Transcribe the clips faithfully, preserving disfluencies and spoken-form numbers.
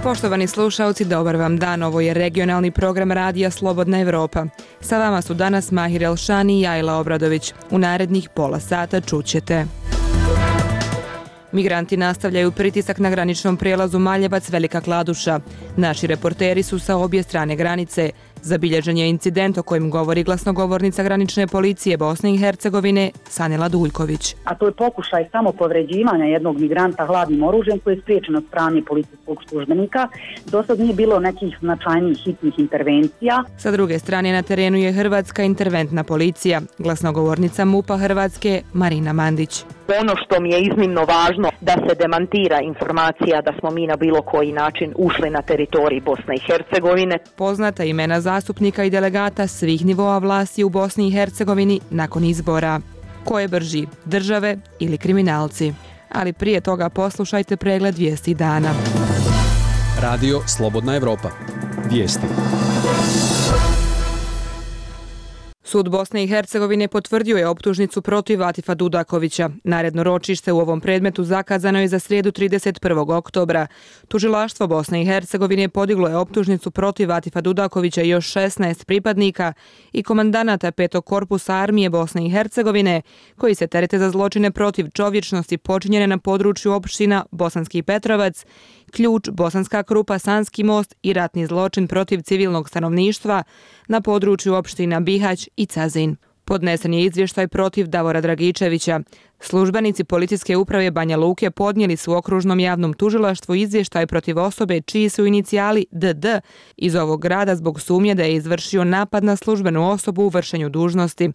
Poštovani slušalci, dobar vam dan. Ovo je regionalni program Radija Slobodna Evropa. Sa vama su danas Mahir Elšani i Ajla Obradović. U narednih pola sata čućete. Migranti nastavljaju pritisak na graničnom prijelazu Maljevac-Velika Kladuša. Naši reporteri su sa obje strane granice. Zabilježen je incident o kojem govori glasnogovornica granične policije Bosne i Hercegovine Sanela Duljković. A to je pokušaj samopovređivanja jednog migranta hladnim oružjem koji je spriječen od strane policijskog službenika. Do sad nije bilo nekih značajnijih hitnih intervencija. Sa druge strane na terenu je Hrvatska interventna policija. Glasnogovornica MUP-a Hrvatske Marina Mandić. Ono što mi je iznimno važno da se demantira informacija da smo mi na bilo koji način ušli na teritorij Bosne i Hercegovine. Poznata imena zastupnika i delegata svih nivoa vlasti u Bosni i Hercegovini nakon izbora. Ko je brži, države ili kriminalci? Ali prije toga poslušajte pregled vijesti dana. Radio Slobodna Evropa. Vijesti. Sud Bosne i Hercegovine potvrdio je optužnicu protiv Atifa Dudakovića. Naredno ročište u ovom predmetu zakazano je za srijedu trideset prvog oktobra. Tužilaštvo Bosne i Hercegovine podiglo je optužnicu protiv Atifa Dudakovića i još šesnaest pripadnika i komandanata petog korpusa armije Bosne i Hercegovine, koji se terete za zločine protiv čovječnosti počinjene na području opština Bosanski Petrovac, Ključ, Bosanska Krupa, Sanski most i ratni zločin protiv civilnog stanovništva na području opština Bihać i Cazin. Podnesen je izvještaj protiv Davora Dragičevića. Službenici policijske uprave Banja Luke podnijeli su okružnom javnom tužilaštvu izvještaj protiv osobe čiji su inicijali D D iz ovog grada zbog sumnje da je izvršio napad na službenu osobu u vršenju dužnosti.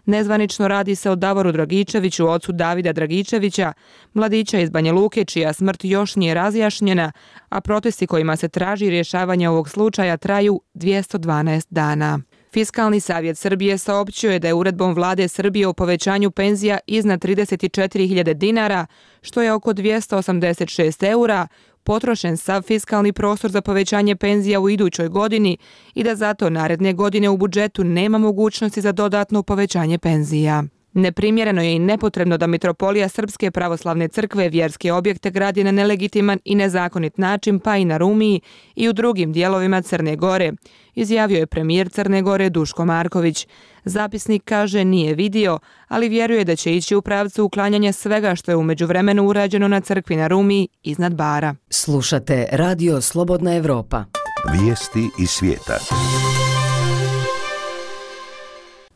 Nezvanično radi se o Davoru Dragičeviću, ocu Davida Dragičevića, mladića iz Banja Luke čija smrt još nije razjašnjena, a protesti kojima se traži rješavanje ovog slučaja traju dvjesto dvanaest dana. Fiskalni savjet Srbije saopćio je da je uredbom vlade Srbije o povećanju penzija iznad trideset četiri hiljade dinara, što je oko dvjesto osamdeset šest eura, potrošen sav fiskalni prostor za povećanje penzija u idućoj godini i da zato naredne godine u budžetu nema mogućnosti za dodatno povećanje penzija. Neprimjereno je i nepotrebno da Mitropolija Srpske pravoslavne crkve vjerske objekte gradi na nelegitiman i nezakonit način pa i na Rumiji i u drugim dijelovima Crne Gore, izjavio je premijer Crne Gore Duško Marković. Zapisnik kaže nije vidio, ali vjeruje da će ići u pravcu uklanjanja svega što je u međuvremenu urađeno na crkvi na Rumiji iznad Bara. Slušate Radio Slobodna Evropa. Vijesti iz svijeta.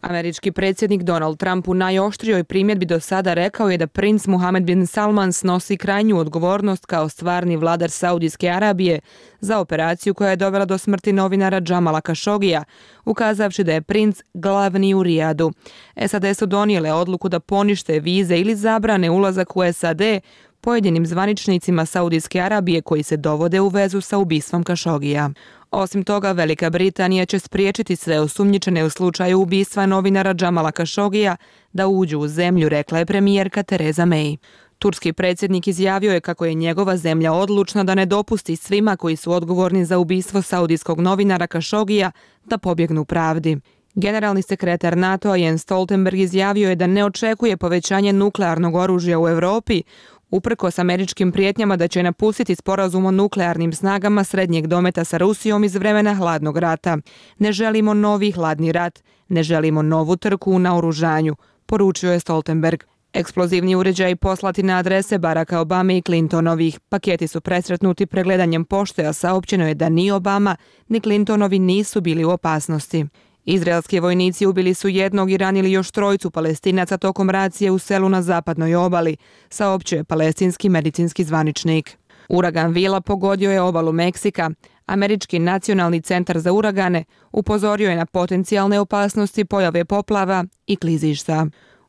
Američki predsjednik Donald Trump u najoštrijoj primjedbi do sada rekao je da princ Mohammed bin Salman snosi krajnju odgovornost kao stvarni vladar Saudijske Arabije za operaciju koja je dovela do smrti novinara Džamala Kašogija, ukazavši da je princ glavni u Rijadu. S A D su donijele odluku da ponište vize ili zabrane ulazak u S A D pojedinim zvaničnicima Saudijske Arabije koji se dovode u vezu sa ubistvom Kašogija. Osim toga, Velika Britanija će spriječiti sve osumnjičene u slučaju ubistva novinara Džamala Kašogija da uđu u zemlju, rekla je premijerka Theresa May. Turski predsjednik izjavio je kako je njegova zemlja odlučna da ne dopusti svima koji su odgovorni za ubistvo saudijskog novinara Kašogija da pobjegnu pravdi. Generalni sekretar NATO-a Jens Stoltenberg izjavio je da ne očekuje povećanje nuklearnog oružja u Europi, uprkos američkim prijetnjama da će napustiti sporazum o nuklearnim snagama srednjeg dometa sa Rusijom iz vremena hladnog rata. Ne želimo novi hladni rat, ne želimo novu trku u naoružanju, poručio je Stoltenberg. Eksplozivni uređaji poslati na adrese Baracka Obame i Clintonovih. Paketi su presretnuti pregledanjem pošte, a saopćeno je da ni Obama ni Clintonovi nisu bili u opasnosti. Izraelski vojnici ubili su jednog i ranili još trojicu Palestinaca tokom racije u selu na zapadnoj obali, saopćio je palestinski medicinski zvaničnik. Uragan Vila pogodio je obalu Meksika. Američki nacionalni centar za uragane upozorio je na potencijalne opasnosti pojave poplava i klizišta.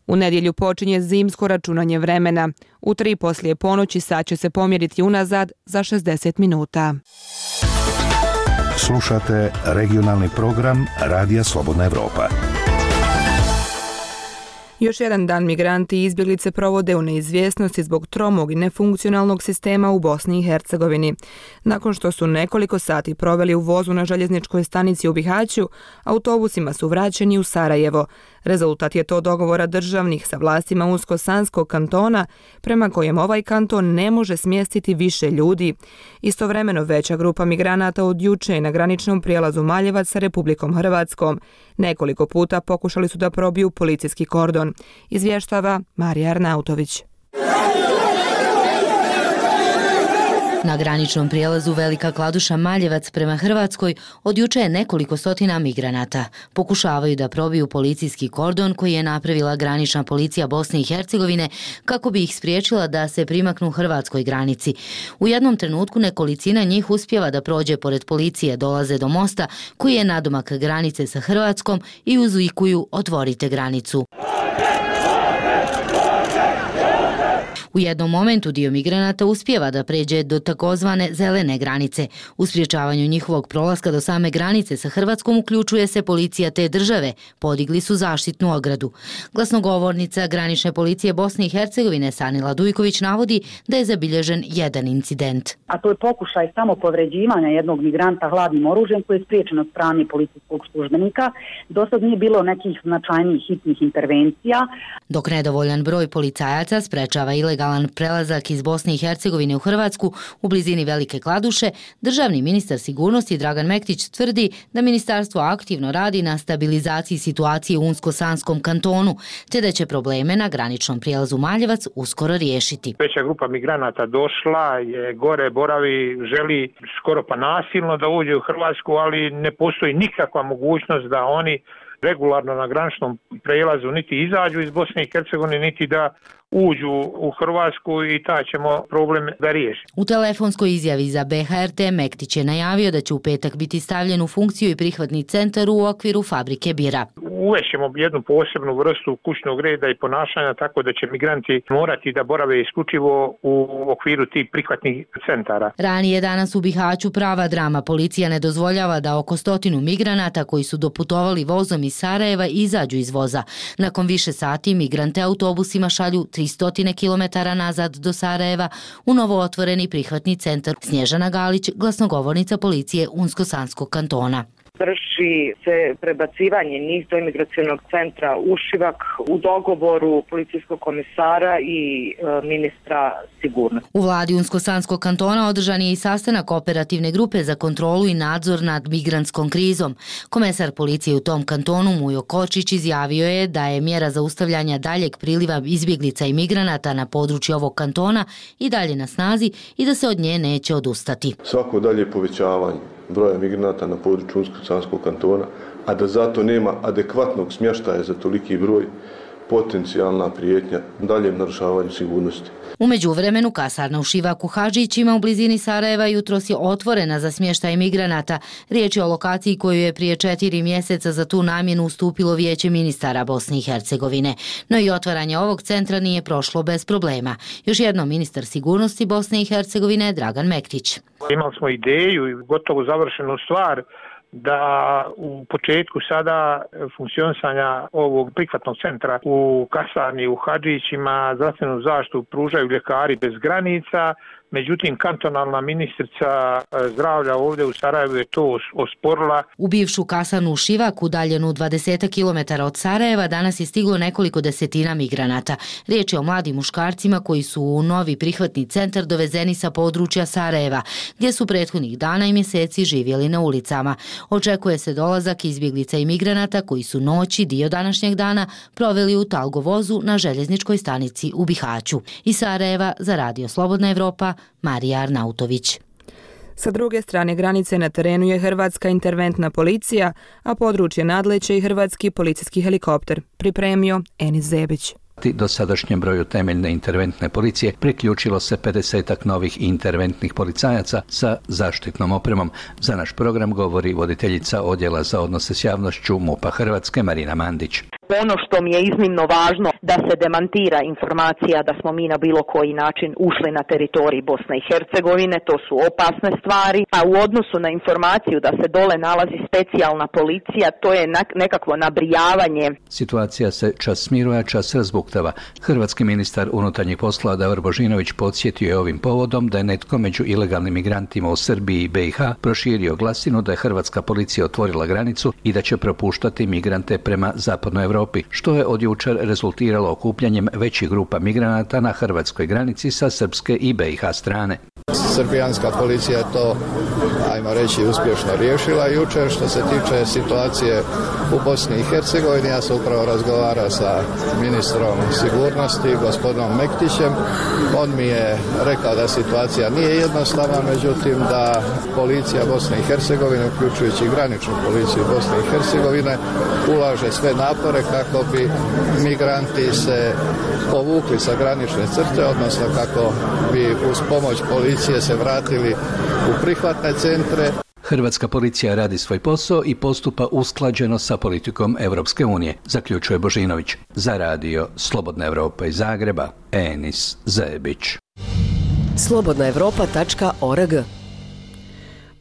U nedjelju počinje zimsko računanje vremena. U tri poslije ponoći sat će se pomjeriti unazad za šezdeset minuta. Slušate regionalni program Radija Slobodna Evropa. Još jedan dan migranti i izbjeglice provode u neizvjesnosti zbog tromog i nefunkcionalnog sistema u Bosni i Hercegovini. Nakon što su nekoliko sati proveli u vozu na željezničkoj stanici u Bihaću, autobusima su vraćeni u Sarajevo. Rezultat je to dogovora državnih sa vlastima Unsko-Sanskog kantona, prema kojem ovaj kanton ne može smjestiti više ljudi. Istovremeno veća grupa migranata od juče je na graničnom prijelazu Maljevac sa Republikom Hrvatskom. Nekoliko puta pokušali su da probiju policijski kordon, izvještava Marija Arnautović. Na graničnom prijelazu Velika Kladuša Maljevac prema Hrvatskoj od juče je nekoliko stotina migranata. Pokušavaju da probiju policijski kordon koji je napravila granična policija Bosne i Hercegovine kako bi ih spriječila da se primaknu hrvatskoj granici. U jednom trenutku nekolicina njih uspijeva da prođe pored policije, dolaze do mosta koji je nadomak granice sa Hrvatskom i uzvikuju "Otvorite granicu". U jednom momentu dio migranata uspijeva da pređe do takozvane zelene granice. U sprječavanju njihovog prolaska do same granice sa Hrvatskom uključuje se policija te države. Podigli su zaštitnu ogradu. Glasnogovornica granične policije Bosne i Hercegovine Sanila Dujković navodi da je zabilježen jedan incident. A to je pokušaj samo povređivanja jednog migranta hladnim oružjem koji je spriječen od strane policijskog službenika. Do sad nije bilo nekih značajnijih hitnih intervencija. Dok nedovoljan broj policajaca sprečava ilegalno prelazak iz Bosne i Hercegovine u Hrvatsku u blizini Velike Kladuše, državni ministar sigurnosti Dragan Mektić tvrdi da ministarstvo aktivno radi na stabilizaciji situacije u Unsko-Sanskom kantonu, te da će probleme na graničnom prijelazu Maljevac uskoro riješiti. Veća grupa migranata došla, je gore, boravi, želi skoro pa nasilno da uđe u Hrvatsku, ali ne postoji nikakva mogućnost da oni regularno na graničnom prijelazu niti izađu iz Bosne i Hercegovine, niti da uđu u Hrvatsku i taj ćemo problem da riješiti. U telefonskoj izjavi za B H R T Mektić je najavio da će u petak biti stavljen u funkciju i prihvatni centar u okviru fabrike bira. Uvešćemo jednu posebnu vrstu kućnog reda i ponašanja tako da će migranti morati da borave isključivo u okviru tih prihvatnih centara. Ranije danas u Bihaću prava drama. Policija ne dozvoljava da oko stotinu migranata koji su doputovali vozom iz Sarajeva izađu iz voza. Nakon više sati migrante autobusima šalju tristo kilometara nazad do Sarajeva u novo otvoreni prihvatni centar. Snježana Galić, glasnogovornica policije Unsko-Sanskog kantona. Vrši se prebacivanje njih do imigracionog centra u Šivak u dogovoru policijskog komisara i e, ministra sigurnosti. U vladi Unsko-Sanskog kantona održan je i sastanak operativne grupe za kontrolu i nadzor nad migrantskom krizom. Komesar policije u tom kantonu Mujo Kočić izjavio je da je mjera zaustavljanja daljeg priliva izbjeglica i migranata na području ovog kantona i dalje na snazi i da se od nje neće odustati. Svako dalje povećavanje broja migranata na području Unsko-Sanskog kantona, a da zato nema adekvatnog smještaja za toliki broj, potencijalna prijetnja daljem narušavanju sigurnosti. U međuvremenu kasarna u Šivaku Hadžićima u blizini Sarajeva jutros je otvorena za smještaj migranata. Riječ je o lokaciji koju je prije četiri mjeseca za tu namjenu ustupilo Vijeće ministara Bosne i Hercegovine. No i otvaranje ovog centra nije prošlo bez problema. Još jednom ministar sigurnosti Bosne i Hercegovine Dragan Mektić. Imali smo ideju i gotovo završenu stvar da u početku sada funkcionisanja ovog prihvatnog centra u kasarni u Hadžićima zdravstvenu zaštitu pružaju ljekari bez granica, međutim kantonalna ministrica zdravlja ovdje u Sarajevu je to osporila. U bivšu kasarnu u Šivaku, udaljenu dvadeset kilometara od Sarajeva, danas je stiglo nekoliko desetina migranata. Riječ je o mladim muškarcima koji su u novi prihvatni centar dovezeni sa područja Sarajeva, gdje su prethodnih dana i mjeseci živjeli na ulicama. Očekuje se dolazak izbjeglica i migranata koji su noći dio današnjeg dana proveli u Talgovozu na željezničkoj stanici u Bihaću. Iz Sarajeva za Radio Slobodna Evropa, Marija Arnautović. Sa druge strane granice na terenu je hrvatska interventna policija, a područje nadleće i hrvatski policijski helikopter, pripremio Enis Zebić. Dosadašnjem broju temeljne interventne policije priključilo se pedesetak novih interventnih policajaca sa zaštitnom opremom. Za naš program govori voditeljica odjela za odnose s javnošću MUP-a Hrvatske Marina Mandić. Ono što mi je iznimno važno da se demantira informacija da smo mi na bilo koji način ušli na teritorij Bosne i Hercegovine, to su opasne stvari, a u odnosu na informaciju da se dole nalazi specijalna policija, to je nekakvo nabrijavanje. Situacija se čas smiruje, čas razbuktava. Hrvatski ministar unutarnjih poslova Davor Božinović podsjetio je ovim povodom da je netko među ilegalnim migrantima u Srbiji i B i H proširio glasinu da je hrvatska policija otvorila granicu i da će propuštati migrante prema zapadnoj Evropi. Europi, što je od jučer rezultiralo okupljanjem većih grupa migranata na hrvatskoj granici sa srpske i B i H strane. Srbijanska policija je to, ajmo reći, uspješno riješila jučer. Što se tiče situacije u Bosni i Hercegovini, ja sam upravo razgovarao sa ministrom sigurnosti, gospodinom Mektićem. On mi je rekao da situacija nije jednostavna, međutim da policija Bosne i Hercegovine, uključujući graničnu policiju Bosne i Hercegovine, ulaže sve napore kako bi migranti se povukli sa granične crte, odnosno kako bi uz pomoć policije se vratili u prihvatne centre. Hrvatska policija radi svoj posao i postupa usklađeno sa politikom Europske unije, zaključuje Božinović. Za radio Slobodna Evropa iz Zagreba, Enis Zebić. slobodna evropa tačka org.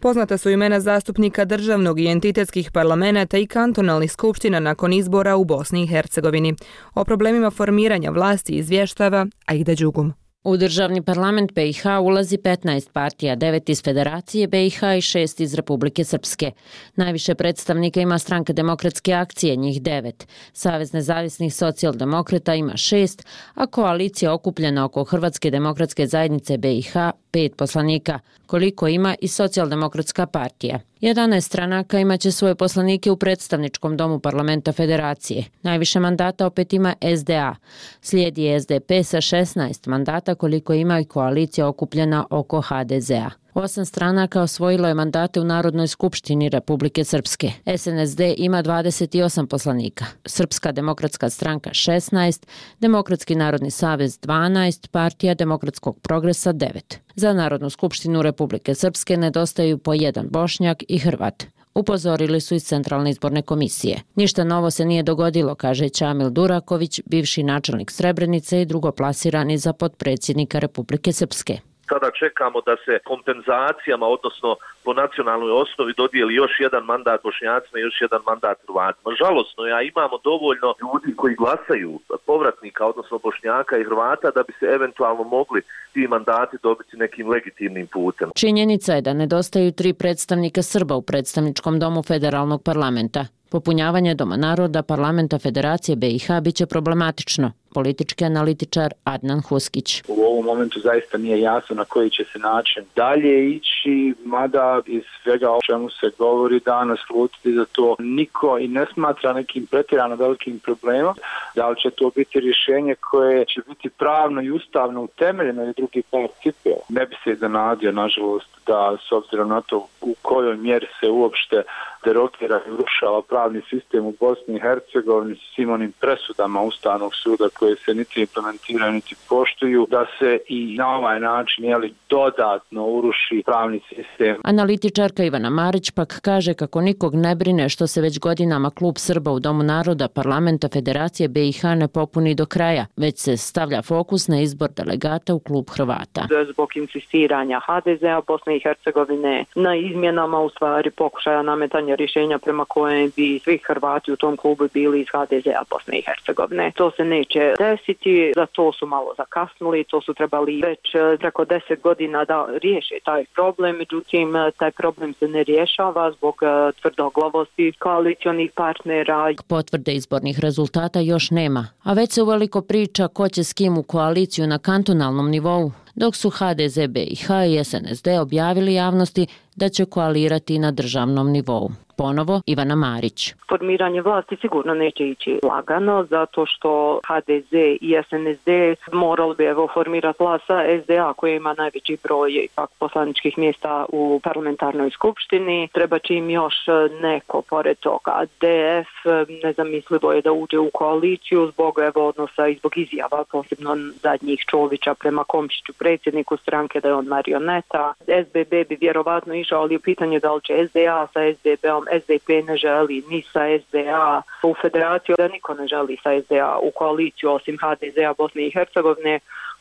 Poznata su imena zastupnika državnog i entitetskih parlamenata i kantonalnih skupština nakon izbora u Bosni i Hercegovini. O problemima formiranja vlasti izvještava Aida Đugum. U državni parlament B i H ulazi petnaest partija, devet iz Federacije B i H i šest iz Republike Srpske. Najviše predstavnika ima Stranka demokratske akcije, njih devet. Savez nezavisnih socijaldemokrata ima šest, a koalicija okupljena oko Hrvatske demokratske zajednice B i H pet poslanika, koliko ima i Socijaldemokratska partija. jedanaest stranaka imaće svoje poslanike u predstavničkom domu parlamenta Federacije. Najviše mandata opet ima S D A. Slijedi S D P sa šesnaest mandata, koliko ima i koalicija okupljena oko H D Z-a. Osam stranaka osvojilo je mandate u Narodnoj skupštini Republike Srpske. S N S D ima dvadeset osam poslanika, Srpska demokratska stranka šesnaest, Demokratski narodni savez dvanaest, Partija demokratskog progresa devet. Za Narodnu skupštinu Republike Srpske nedostaju po jedan Bošnjak i Hrvat. Upozorili su iz Centralne izborne komisije. Ništa novo se nije dogodilo, kaže Čamil Duraković, bivši načelnik Srebrenice i drugoplasirani za potpredsjednika Republike Srpske. Sada čekamo da se kompenzacijama, odnosno po nacionalnoj osnovi, dodijeli još jedan mandat Bošnjacima i još jedan mandat Hrvatima. Žalosno je, a imamo dovoljno ljudi koji glasaju, povratnika, odnosno Bošnjaka i Hrvata, da bi se eventualno mogli ti mandati dobiti nekim legitimnim putem. Činjenica je da nedostaju tri predstavnika Srba u predstavničkom domu federalnog parlamenta. Popunjavanje Doma naroda parlamenta Federacije B i H biće problematično. Politički analitičar Adnan Huskić. U ovom momentu zaista nije jasno na koji će se način dalje ići, mada iz svega o čemu se govori danas slutiti da to niko i ne smatra nekim pretjerano velikim problemom. Da li će to biti rješenje koje će biti pravno i ustavno utemeljeno ili drugi par cipela. Ne bi se iznenadio, nažalost, da s obzirom na to u kojoj mjeri se uopšte derogira i urušava pravni sistem u Bosni i Hercegovini s svim onim presudama Ustavnog suda koje se niti implementiraju niti poštuju, da se i na ovaj način jeli, dodatno uruši pravni sistem. Analitičarka Ivana Marić pak kaže kako nikog ne brine što se već godinama klub Srba u Domu naroda parlamenta Federacije B i H ne popuni do kraja, već se stavlja fokus na izbor delegata u klub Hrvata. Zbog insistiranja H D Z-a Bosne i Hercegovine na izmjenama u stvari pokušaja nametanja rješenja prema kojem bi svi Hrvati u tom klubu bili iz H D Z-a Bosne i Hercegovine. To se neće desiti, za to su malo zakasnili, to su trebali već preko deset godina da riješe taj problem, međutim taj problem se ne rješava zbog tvrdoglavosti koalicionih partnera. Potvrde izbornih rezultata još nema, a već se uveliko priča ko će s kim u koaliciju na kantonalnom nivou, dok su H D Z B i H i S N S D objavili javnosti da će koalirati na državnom nivou. Ponovo Ivana Marić. Formiranje vlasti sigurno neće ići lagano, zato što H D Z i S N S D morali bi evo formirati vlast sa S D A koji ima najveći broj ipak poslaničkih mjesta u parlamentarnoj skupštini. Treba će im još neko pored toga. D F nezamislivo je da uđe u koaliciju zbog evo odnosa i zbog izjava, posebno zadnjih Čovića prema Komšiću, predsjedniku stranke, da je on marioneta. S B B bi vjerovatno išao, ali je pitanje da li će S D A sa S D B-om. S D P ne želi ni sa S D A u federaciju, da niko ne želi sa S D A u koaliciju osim H D Z-a Bosne i Hercegovine.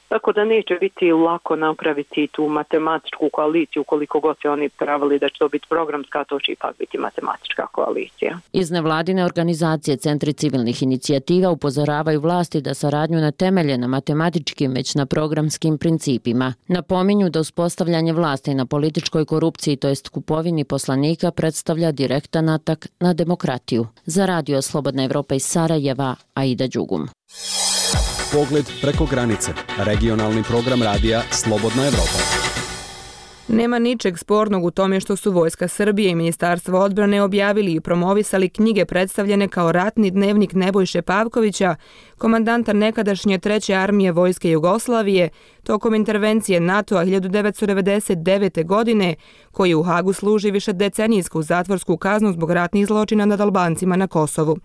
tako da neće biti lako napraviti tu matematičku koaliciju koliko god se oni pravili da će to biti programska, to će ipak biti matematička koalicija. Iz nevladine organizacije Centri civilnih inicijativa upozoravaju vlasti da saradnju ne temelje na matematičkim već na programskim principima. Napominju da uspostavljanje vlasti na političkoj korupciji, to jest kupovini poslanika, predstavlja direktan atak na demokratiju. Za Radio Slobodna Evropa iz Sarajeva, Aida Đugum. Pogled preko granice. Regionalni program radija Slobodna Evropa. Nema ničeg spornog u tome što su Vojska Srbije i Ministarstvo odbrane objavili i promovisali knjige predstavljene kao ratni dnevnik Nebojše Pavkovića, komandanta nekadašnje treće armije Vojske Jugoslavije, tokom intervencije NATO-a hiljadu devetsto devedeset devete. godine, koji u Hagu služi višedecenijsku zatvorsku kaznu zbog ratnih zločina nad Albancima na Kosovu.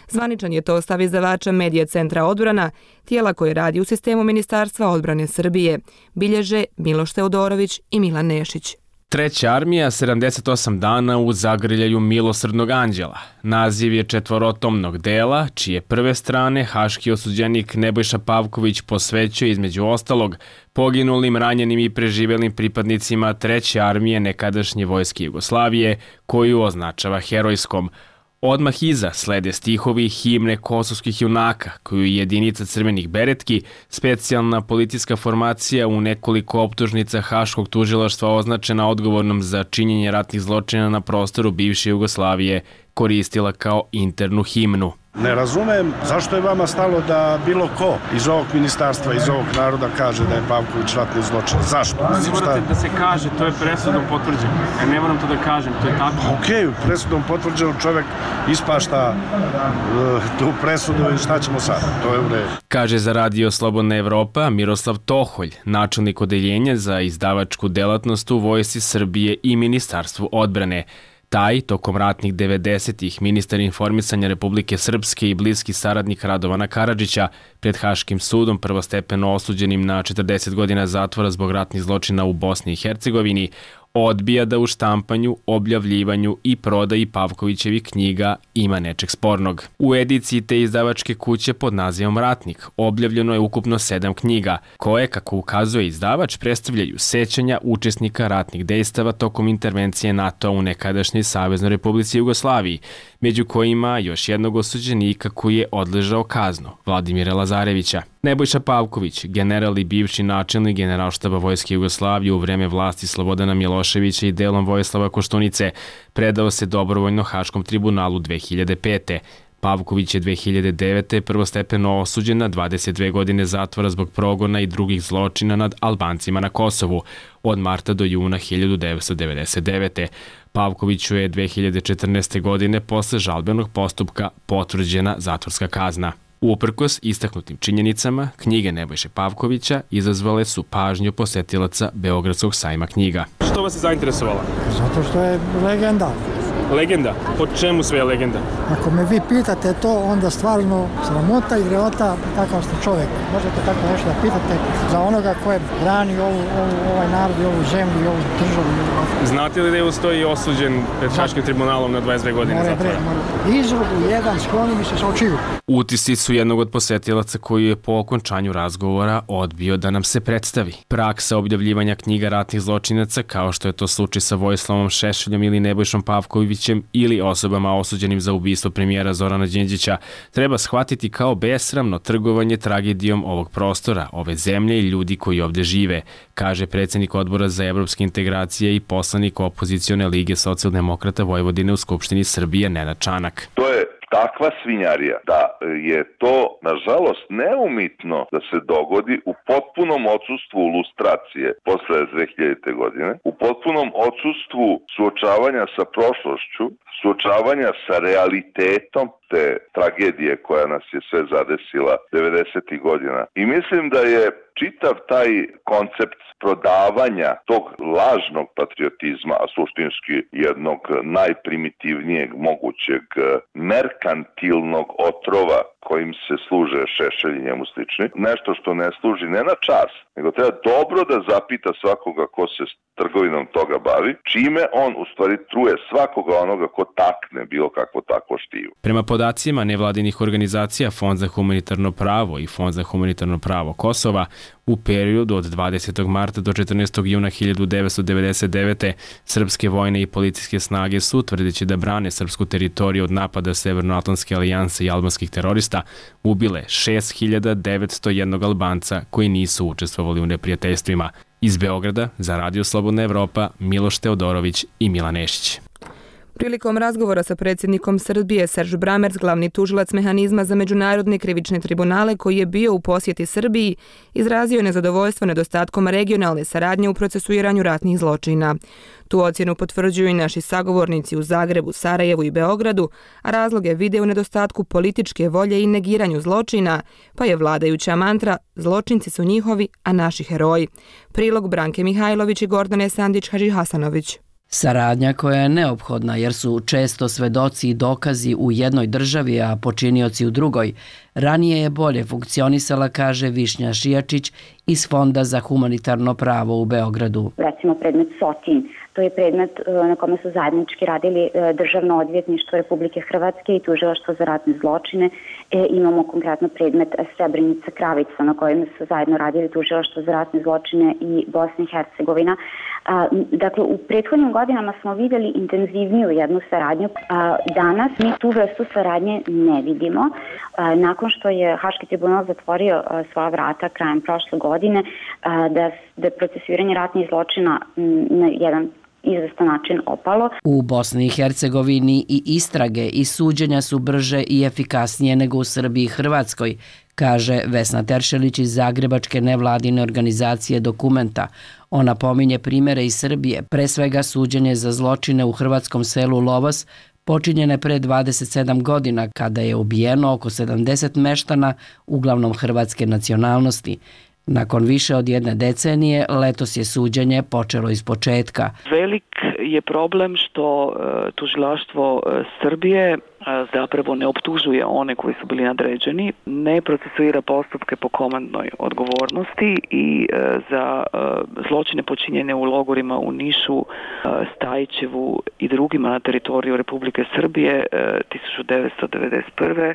Zvaničan je to stav izdavača Medija centra odbrana, tijela koje radi u sistemu Ministarstva odbrane Srbije, bilježe Miloš Teodorović i Milan Nešić. Treća armija sedamdeset osam dana u zagrljaju milosrdnog anđela. Naziv je četvorotomnog dela, čije prve strane haški osuđenik Nebojša Pavković posvećuje između ostalog poginulim, ranjenim i preživelim pripadnicima treće armije nekadašnje Vojske Jugoslavije, koju označava herojskom. Odmah iza slede stihovi himne kosovskih junaka, koju je jedinica crvenih beretki, specijalna policijska formacija u nekoliko optužnica Haškog tužilaštva označena odgovornom za činjenje ratnih zločina na prostoru bivše Jugoslavije, koristila kao internu himnu. Ne razumem zašto je vama stalo da bilo ko iz ovog ministarstva, iz ovog naroda kaže da je Pavković ratni zločin. Zašto? Ne morate da se kaže, to je presudom potvrđeno. Ja ne moram to da kažem, to je tako. Okej, okay, presudom potvrđeno čovjek ispašta uh, tu presudu i šta ćemo sad? To je u redu. Kaže za Radio Slobodna Evropa Miroslav Toholj, načelnik odeljenja za izdavačku delatnost u Vojsci Srbije i Ministarstvu odbrane. Taj, tokom ratnih devedesetih, ministar informisanja Republike Srpske i bliski saradnik Radovana Karadžića, pred Haškim sudom prvostepeno osuđenim na četrdeset godina zatvora zbog ratnih zločina u Bosni i Hercegovini, odbija da u štampanju, objavljivanju i prodaji Pavkovićevih knjiga ima nečeg spornog. U ediciji te izdavačke kuće pod nazivom Ratnik objavljeno je ukupno sedam knjiga, koje, kako ukazuje izdavač, predstavljaju sećanja učesnika ratnih dejstava tokom intervencije NATO u nekadašnjoj Saveznoj Republici Jugoslaviji, među kojima još jednog osuđenika koji je odležao kaznu, Vladimira Lazarevića. Nebojša Pavković, general i bivši načelnik Generalštaba Vojske Jugoslavije u vreme vlasti Slobodana Miloševića i delom Vojislava Koštunice, predao se dobrovoljno Haškom tribunalu dve hiljade pete. Pavković je dve hiljade devete. prvostepeno osuđen na dvadeset dve godine zatvora zbog progona i drugih zločina nad Albancima na Kosovu od marta do juna hiljadu devetsto devedeset devete. Pavkoviću je dve hiljade četrnaeste. godine posle žalbenog postupka potvrđena zatvorska kazna. Uprkos istaknutim činjenicama, knjige Nebojše Pavkovića izazvale su pažnju posetilaca Beogradskog sajma knjiga. Što vas je zainteresovalo? Zato što je legenda. Legenda? Po čemu sve je legenda? Ako me vi pitate to, onda stvarno sramota i greota kakav ste čovjek. Možete tako nešto da pitate za onoga ko je brani ovu, ovu, ovaj narod i ovu zemlju i ovu državu. Znate li da je ustoji osuđen pred Haškim tribunalom na dvadeset dve godine zatvora? Izrugu jedan, skloni mi se sa očiju. Utisci su jednog od posetilaca koji je po okončanju razgovora odbio da nam se predstavi. Praksa objavljivanja knjiga ratnih zločinaca, kao što je to slučaj sa Vojislavom Šešeljom ili Nebojšom Pavkovićem ili osobama osuđenim za ubistvo premijera Zorana Đinđića, treba shvatiti kao besramno trgovanje tragedijom ovog prostora, ove zemlje i ljudi koji ovdje žive, kaže predsjednik Odbora za evropske integracije i poslanik opozicione lige socijaldemokrata Vojvodine u Skupštini Srbije Nenad Čanak. To je takva svinjarija da je to, nažalost, neumitno da se dogodi u potpunom odsustvu lustracije posle dve hiljadite. godine, u potpunom odsustvu suočavanja sa prošlošću, suočavanja sa realitetom te tragedije koja nas je sve zadesila devedesetih godina. I mislim da je čitav taj koncept prodavanja tog lažnog patriotizma, a suštinski jednog najprimitivnijeg mogućeg merkantilnog otrova kojim se služe Šešelj i njemu slični. Nešto što ne služi ne na čas, nego treba dobro da zapita svakoga ko se trgovinom toga bavi, čime on u stvari truje svakoga onoga ko takne bilo kakvo takvo štivo. Prema podacima nevladinih organizacija Fond za humanitarno pravo i Fond za humanitarno pravo Kosova, u periodu od dvadesetog marta do četrnaestog juna hiljadu devetsto devedeset devete. srpske vojne i policijske snage su, tvrdeći da brane srpsku teritoriju od napada Severnoatlantske alijanse i albanskih terorista, ubile šest hiljada devetsto jedan Albanca koji nisu učestvovali u neprijateljstvima. Iz Beograda za Radio Slobodna Evropa, Miloš Teodorović i Milan Nešić. Prilikom razgovora sa predsjednikom Srbije, Serž Bramerc, glavni tužilac mehanizma za međunarodne krivične tribunale koji je bio u posjeti Srbiji, izrazio je nezadovoljstvo nedostatkom regionalne saradnje u procesuiranju ratnih zločina. Tu ocjenu potvrđuju i naši sagovornici u Zagrebu, Sarajevu i Beogradu, a razloge vide u nedostatku političke volje i negiranju zločina, pa je vladajuća mantra "Zločinci su njihovi, a naši heroji". Prilog Branke Mihajlović i Gordane Sandić-Hadžihasanović. Saradnja koja je neophodna jer su često svedoci i dokazi u jednoj državi, a počinioci u drugoj. Ranije je bolje funkcionisala, kaže Višnja Šijačić iz Fonda za humanitarno pravo u Beogradu. Recimo predmet Sotin, to je predmet na kome su zajednički radili Državno odvjetništvo Republike Hrvatske i Tužilaštvo za ratne zločine. E, imamo konkretno predmet Srebrenica Kravica na kojem su zajedno radili Tužilaštvo za ratne zločine i Bosna i Hercegovina. A, dakle, u prethodnim godinama smo vidjeli intenzivniju jednu saradnju. A, danas mi tu vrstu saradnje ne vidimo. A, nakon što je Haški tribunal zatvorio a, svoja vrata krajem prošle godine, a, da, da je procesuiranje ratnih zločina m, na jedan izvestan način opalo. U Bosni i Hercegovini i istrage i suđenja su brže i efikasnije nego u Srbiji i Hrvatskoj, kaže Vesna Teršelić iz zagrebačke nevladine organizacije Dokumenta. Ona pominje primjere iz Srbije, pre svega suđenje za zločine u hrvatskom selu Lovas, počinjene pre dvadeset sedam godina kada je ubijeno oko sedamdeset meštana, uglavnom hrvatske nacionalnosti. Nakon više od jedne decenije, letos je suđenje počelo iz početka. Velik je problem što e, tužilaštvo e, Srbije e, zapravo ne optužuje one koji su bili nadređeni, ne procesuira postupke po komandnoj odgovornosti i e, za e, zločine počinjene u logorima u Nišu, e, Stajićevu i drugima na teritoriju Republike Srbije e, tisuću devetsto devedeset prve.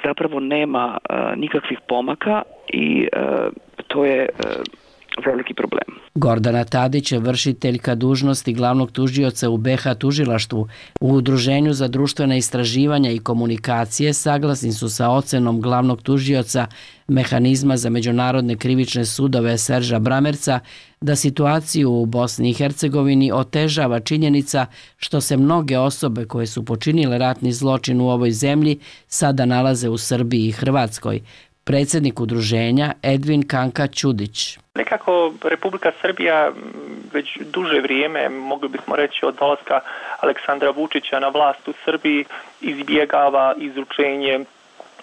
zapravo nema nikakvih pomaka i to je veliki problem. Gordana Tadić je vršiteljka dužnosti glavnog tužioca u be ha tužilaštvu. U Udruženju za društvene istraživanja i komunikacije saglasni su sa ocenom glavnog tužioca mehanizma za međunarodne krivične sudove Serža Bramerca da situaciju u Bosni i Hercegovini otežava činjenica što se mnoge osobe koje su počinile ratni zločin u ovoj zemlji sada nalaze u Srbiji i Hrvatskoj. Predsjednik udruženja Edvin Kanka Ćudić. Nekako Republika Srbija već duže vrijeme, mogli bismo reći od dolaska Aleksandra Vučića na vlast u Srbiji, izbjegava izručenje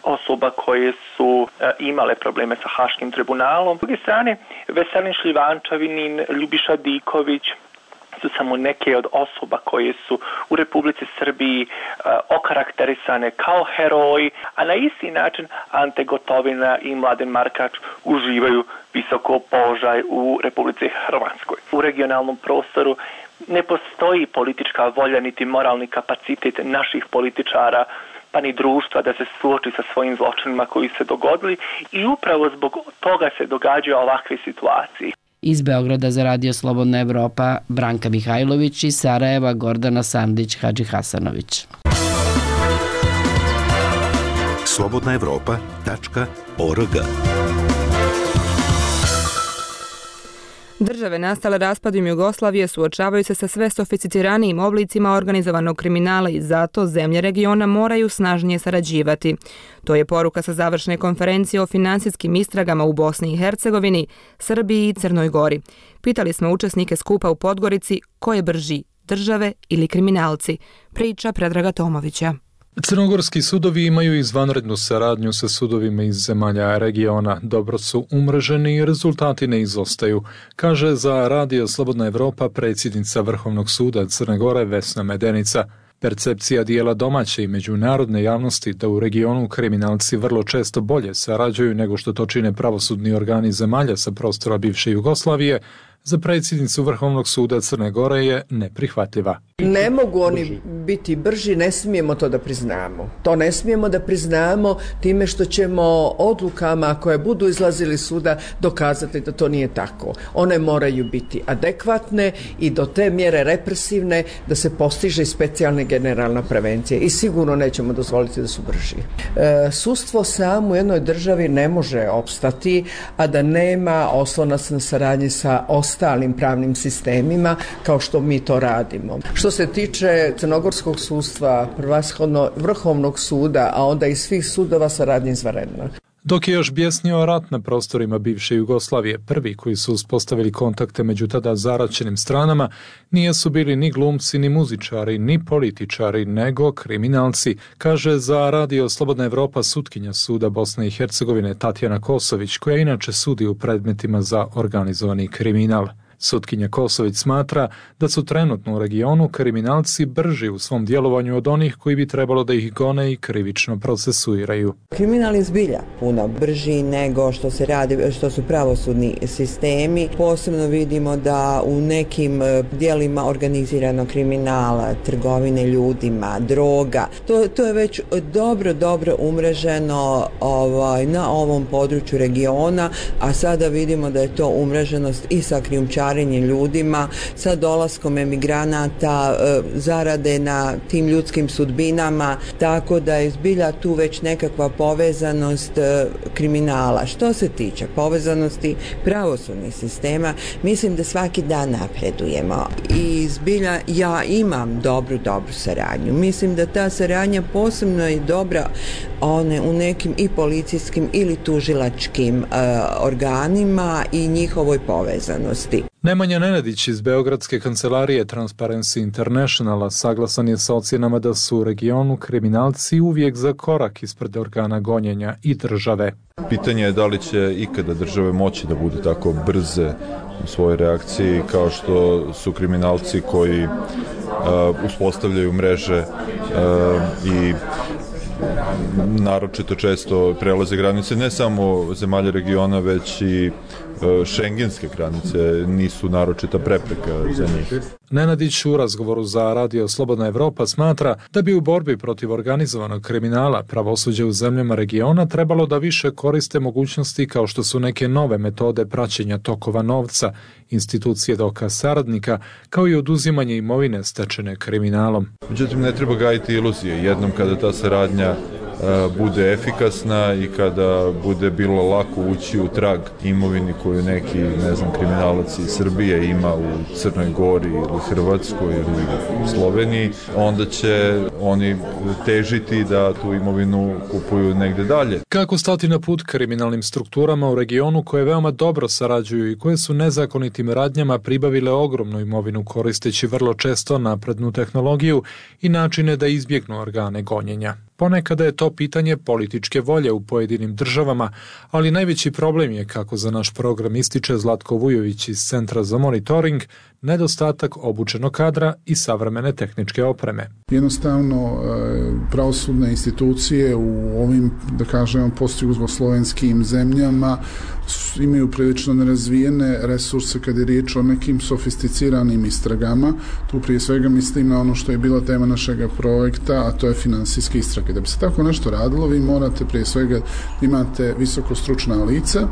osoba koje su imale probleme sa Haškim tribunalom. S druge strane, Veselin Šljivančavinin, Ljubiša Diković su samo neke od osoba koje su u Republici Srbiji uh, okarakterisane kao heroji, a na isti način Ante Gotovina i Mladen Markač uživaju visoko položaj u Republici Hrvatskoj. U regionalnom prostoru ne postoji politička volja niti moralni kapacitet naših političara pa ni društva da se suoči sa svojim zločinima koji se dogodili i upravo zbog toga se događaju ovakve situacije. Iz Beograda za Radio Slobodna Evropa Branka Mihajlović i Sarajeva Gordana Sandić-Hadžihasanović. slobodna evropa tačka org. Države nastale raspadom Jugoslavije suočavaju se sa sve sofisticiranijim oblicima organizovanog kriminala i zato zemlje regiona moraju snažnije sarađivati. To je poruka sa završne konferencije o finansijskim istragama u Bosni i Hercegovini, Srbiji i Crnoj Gori. Pitali smo učesnike skupa u Podgorici ko je brži, države ili kriminalci. Priča Predraga Tomovića. Crnogorski sudovi imaju izvanrednu saradnju sa sudovima iz zemalja regiona. Dobro su umreženi i rezultati ne izostaju, kaže za Radio Slobodna Evropa predsjednica Vrhovnog suda Crne Gore Vesna Medenica. Percepcija dijela domaće i međunarodne javnosti da u regionu kriminalci vrlo često bolje sarađuju nego što to čine pravosudni organi zemalja sa prostora bivše Jugoslavije, za predsjednicu Vrhovnog suda Crne Gore je neprihvatljiva. Ne mogu oni biti brži, ne smijemo to da priznamo. To ne smijemo da priznamo time što ćemo odlukama koje budu izlazili suda dokazati da to nije tako. One moraju biti adekvatne i do te mjere represivne da se postiže specijalna generalna prevencija i sigurno nećemo dozvoliti da su brži. E, sudstvo samo u jednoj državi ne može opstati, a da nema oslonac na saradnji sa ostalim pravnim sistemima kao što mi to radimo. Što se tiče crnogorskog sudstva, prvashodno Vrhovnog suda, a onda i svih sudova, saradnja izvanredna. Dok je još bjesnio rat na prostorima bivše Jugoslavije, prvi koji su uspostavili kontakte među tada zaraćenim stranama nisu bili ni glumci, ni muzičari, ni političari, nego kriminalci, kaže za Radio Slobodna Evropa sutkinja suda Bosne i Hercegovine Tatjana Kosović, koja inače sudi u predmetima za organizovani kriminal. Sutkinja Kosović smatra da su trenutno u regionu kriminalci brži u svom djelovanju od onih koji bi trebalo da ih gone i krivično procesuiraju. Kriminal je zbilja puno brži nego što se radi, što su pravosudni sistemi. Posebno vidimo da u nekim dijelima organiziranog kriminala, trgovine ljudima, droga, to, to je već dobro, dobro umreženo ovaj, na ovom području regiona, a sada vidimo da je to umreženost i sa krijumčarenjem ljudima, sa dolaskom emigranata, zarade na tim ljudskim sudbinama, tako da je zbilja tu već nekakva povezanost kriminala. Što se tiče povezanosti pravosudnih sistema, mislim da svaki dan napredujemo i zbilja ja imam dobru, dobru saradnju. Mislim da ta saradnja posebno je dobra one u nekim i policijskim ili tužilačkim uh, organima i njihovoj povezanosti. Nemanja Nenadić iz Beogradske kancelarije Transparency Internationala saglasan je sa ocjenama da su u regionu kriminalci uvijek za korak ispred organa gonjenja i države. Pitanje je da li će ikada države moći da budu tako brze u svojoj reakciji kao što su kriminalci koji uh, uspostavljaju mreže uh, i naročito često prelaze granice ne samo zemalja regiona, već i šengenske granice nisu naročita prepreka za njih. Nenadić u razgovoru za Radio Slobodna Evropa smatra da bi u borbi protiv organizovanog kriminala pravosuđe u zemljama regiona trebalo da više koriste mogućnosti kao što su neke nove metode praćenja tokova novca, institucije dokaz saradnika, kao i oduzimanje imovine stečene kriminalom. Međutim, ne treba gajiti iluzije. Jednom kada ta saradnja bude efikasna i kada bude bilo lako ući u trag imovini koju neki, ne znam, kriminalac iz Srbije ima u Crnoj Gori ili Hrvatskoj ili Sloveniji, onda će oni težiti da tu imovinu kupuju negde dalje. Kako stati na put kriminalnim strukturama u regionu koje veoma dobro sarađuju i koje su nezakonitim radnjama pribavile ogromnu imovinu koristeći vrlo često naprednu tehnologiju i načine da izbjegnu organe gonjenja. Ponekada je to pitanje političke volje u pojedinim državama, ali najveći problem je, kako za naš program ističe Zlatko Vujović iz Centra za monitoring, nedostatak obučenog kadra i savremene tehničke opreme. Jednostavno, pravosudne institucije u ovim, da kažemo, postjugoslovenskim zemljama imaju prilično nerazvijene resurse kad je riječ o nekim sofisticiranim istragama. Tu prije svega mislim na ono što je bila tema našeg projekta, a to je finansijske istrage. Da bi se tako nešto radilo, vi morate prije svega imate visoko stručna lica,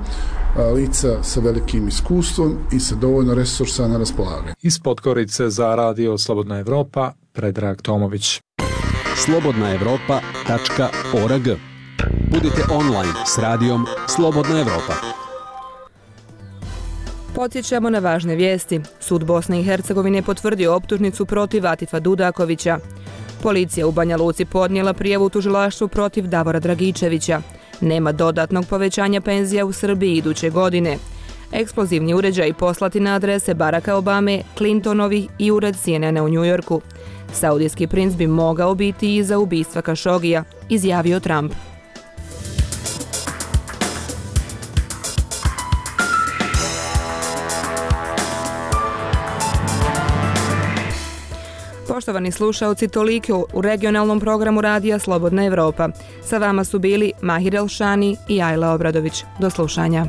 lica sa velikim iskustvom i sa dovoljno resursa na raspolaganju. Iz Podgorice za Radio Slobodna Evropa, Predrag Tomović. slobodna evropa tačka org. Budite online s radijom Slobodna Evropa. Podsjećamo na važne vijesti. Sud Bosne i Hercegovine je potvrdio optužnicu protiv Atifa Dudakovića. Policija u Banja Luci podnijela prijavu u tužilaštvu protiv Davora Dragičevića. Nema dodatnog povećanja penzija u Srbiji iduće godine. Eksplozivni uređaj poslati na adrese Baracka Obame, Clintonovih i ured C N N-a u Njujorku. Saudijski princ bi mogao biti iza ubistva Kašogija, izjavio Trump. Poštovani slušaoci, toliko u regionalnom programu Radija Slobodna Evropa. Sa vama su bili Mahir Elšani i Ajla Obradović. Do slušanja.